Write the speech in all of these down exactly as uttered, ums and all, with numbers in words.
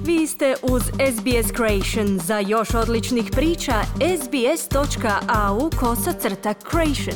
Vi ste uz S B S Creation. Za još odličnih priča, sbs.au kosacrta creation.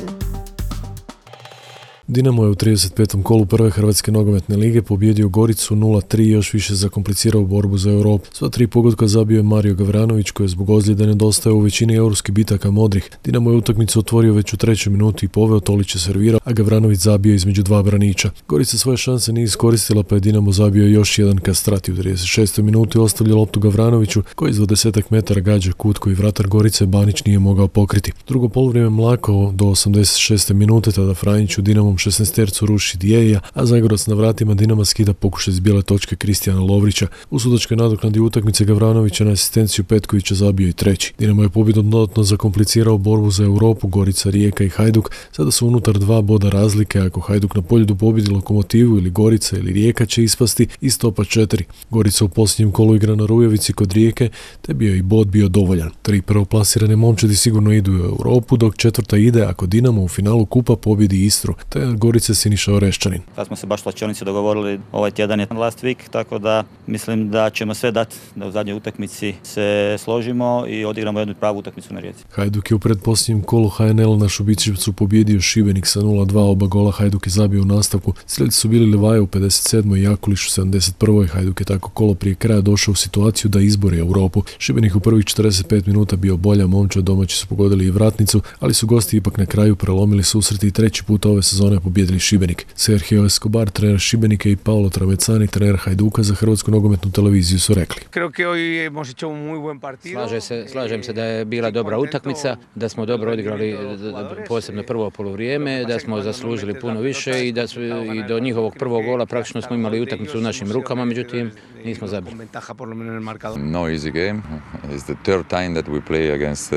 Dinamo je u trideset petom kolu prve Hrvatske nogometne lige pobjedio Goricu nula tri i još više zakomplicirao borbu za Europu. Sva tri pogotka zabio je Mario Gavranović, koji je zbog ozljede nedostaje u većini europskih bitaka modrih. Dinamo je utakmicu otvorio već u trećoj minuti i poveo, Tolić je servirao, a Gavranović zabio između dva braniča. Gorica svoje šanse nije iskoristila, pa je Dinamo zabio još jedan Kastrati u trideset šestoj minuti, ostavlja loptu Gavranoviću, koji iz dvadesetak metara gađa kut koji vratar Gorice Banić nije mogao pokriti. Drugo poluvrijeme mlako do osamdeset šeste minute, tada Franjić u Dinamom šesnaestercu ruši Dijeja, a Zagorac na vratima Dinama skida pokušaj iz bijele točke Kristijana Lovrića. U sudačkoj nadoknadi utakmice Gavranovića na asistenciju Petkovića zabio i treći. Dinamo je pobjedom dodatno zakomplicirao borbu za Europu. Gorica, Rijeka i Hajduk sada su unutar dva boda razlike. Ako Hajduk na Poljudu pobjedi Lokomotivu ili Gorica ili Rijeka će ispasti iz topa četiri. Gorica u posljednjem kolu igra na Rujevici kod Rijeke, te bio i bod bio dovoljan. Tri prvoplasirane momčadi sigurno idu u Europu, dok četvrta ide ako Dinamo u finalu kupa pobjedi Istru, te Gorice Siniša Oreščanin. Kad smo se baš slačionici dogovorili, ovaj tjedan je last week, tako da mislim da ćemo sve dati da u zadnjoj utakmici se složimo i odigramo jednu pravu utakmicu na Rijeci. Hajduk je u predposljednjem kolu H N L na Šubićevcu pobjedio Šibenik sa nula dva, oba gola Hajduk je zabio u nastavku. Slijedci su bili Livaja u pedeset sedmoj i Jakuliš u sedamdeset prvoj. Hajduk je tako kolo prije kraja došao u situaciju da izbori Europu. Šibenik u prvih četrdeset pet minuta bio bolja momčad, domaći su pogodili i vratnicu, ali su gosti ipak na kraju prelomili susret i treći put ove sezone pobjedili Šibenik. Sergio Escobar, trener Šibenika, i Paolo Travecani, trener Hajduka, za Hrvatsku nogometnu televiziju su rekli. Slažem se, slažem se da je bila dobra utakmica, da smo dobro odigrali posebno prvo poluvrijeme, da smo zaslužili puno više i da su, i do njihovog prvog gola praktično smo imali utakmicu u našim rukama, međutim nismo zabili. No easy game. It's the third time that we play against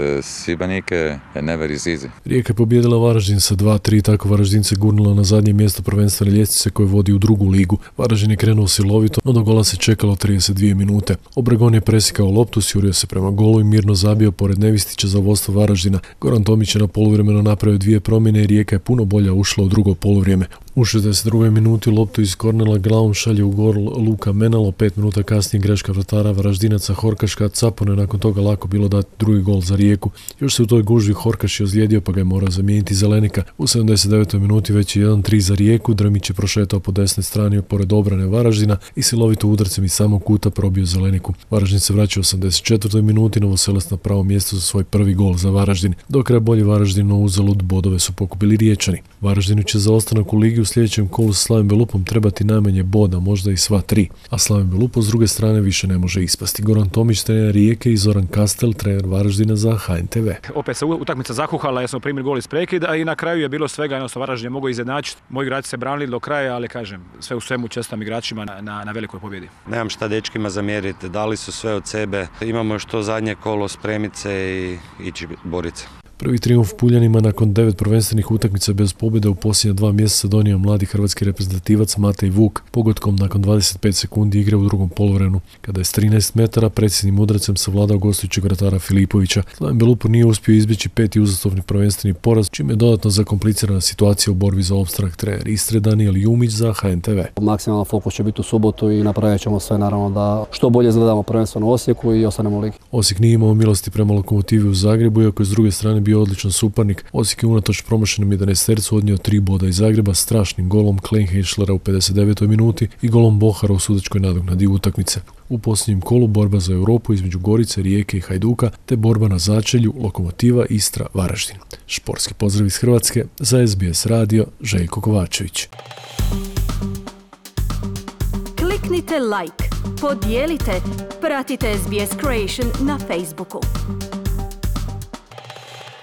Šibenik and never is easy. Rijeka je pobijedila Varaždin sa dva tri, tako Varaždin se gurnula na zadnje mjesto prvenstvene ljestvice koje vodi u drugu ligu. Varaždin je krenuo silovito, no do gola se čekalo trideset dvije minute. Obregon je presikao loptu, sjurio se prema golu i mirno zabio pored Nevistića za vodstvo Varaždina. Goran Tomić je na poluvremenu napravio dvije promjene i Rijeka je puno bolja ušla u drugo poluvrijeme. U šezdeset drugoj minuti loptu iz kornela glavom šalje u gol Luka Menalo, pet minuta kasnije greška vratara Varaždinaca Horkaška, Capone nakon toga lako bilo dati drugi gol za Rijeku. Još se u toj gužvi Horkaš je ozlijedio, pa ga je morao zamijeniti Zelenika. U sedamdeset devetoj minuti već je jedan tri za Rijeku, Drmić je prošetao po desnoj strani pored obrane Varaždina i silovito udarcem iz samog kuta probio Zeleniku. Varaždin se vraća u osamdeset četvrtoj minuti, Novoselec na pravo mjesto za svoj prvi gol za Varaždin. Do kraja bolji Varaždin, no uzalud bodove su pokupili Riječani. Varaždinu će za ostanak u ligi u sljedećem kolu sa Slavim Belupom trebati najmanje boda, možda i sva tri. A Slavim Belupo s druge strane više ne može ispasti. Goran Tomić, trener Rijeke, i Zoran Kastel, trener Varaždina za H N T V. Opet se utakmica zakuhala jer smo primili gol iz prekida i na kraju je bilo svega, jednostavno Varaždin je mogao izjednačiti. Moji igrači se branili do kraja, ali kažem, sve u svemu čestitam igračima na, na, na velikoj pobjedi. Nemam šta dečkima zamjeriti, dali su sve od sebe. Imamo još to zadnje kolo, spremit se i ići boriti. Prvi trijumf Puljanima nakon devet prvenstvenih utakmica bez pobjede u posljednja dva mjeseca donio mladi hrvatski reprezentativac Matej Vuk pogodkom nakon dvadeset pet sekundi igre u drugom poluvremenu, kada je s trinaest metara predsjednim udarcem savladao gostujućeg vratara Filipovića. Slaven Belupo nije uspio izbjeći peti uzastopni prvenstveni poraz, čime je dodatno zakomplicirana situacija u borbi za opstanak. Trener Istre Danijel Jumić za H N T V. Maksimalan fokus će biti u subotu i napravit ćemo sve naravno da što bolje izgledamo prvenstveno u Osijeku i ostanemo u ligi. Osijek nije imao milosti prema Lokomotivi u Zagrebu, iako je s druge strane bio odličan suparnik. Osijek je unatoč promašenom jedanaestercu odnio tri boda iz Zagreba strašnim golom Kleinheischlera u pedeset devetoj minuti i golom Bohara u sudačkoj nadoknadi utakmice. U posljednjem kolu borba za Europu između Gorice, Rijeke i Hajduka, te borba na začelju Lokomotiva, Istra, Varaždin. Športski pozdrav iz Hrvatske za S B S radio, Željko Kovačević. Kliknite like, podijelite, pratite S B S Creation na Facebooku.